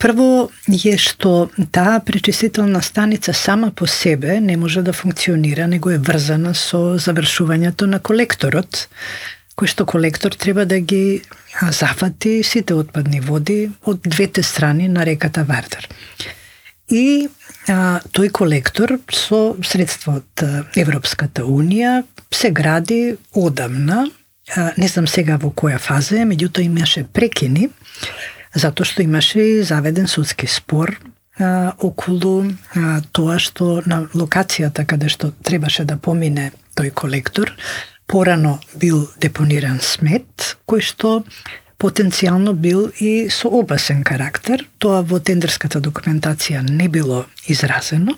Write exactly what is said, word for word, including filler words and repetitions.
Прво е што таа пречистителна станица сама по себе не може да функционира, него е врзана со завршувањето на колекторот, кој што колектор треба да ги зафати сите отпадни води од двете страни на реката Вардар. И а, тој колектор со средства од Европската Унија се гради одамна, а, не знам сега во која фаза е, меѓутоа имаше прекини, затоа што имаше и заведен судски спор а, околу а, тоа што на локацијата каде што требаше да помине тој колектор, порано бил депониран смет, кој што потенцијално бил и со опасен карактер. Тоа во тендерската документација не било изразено.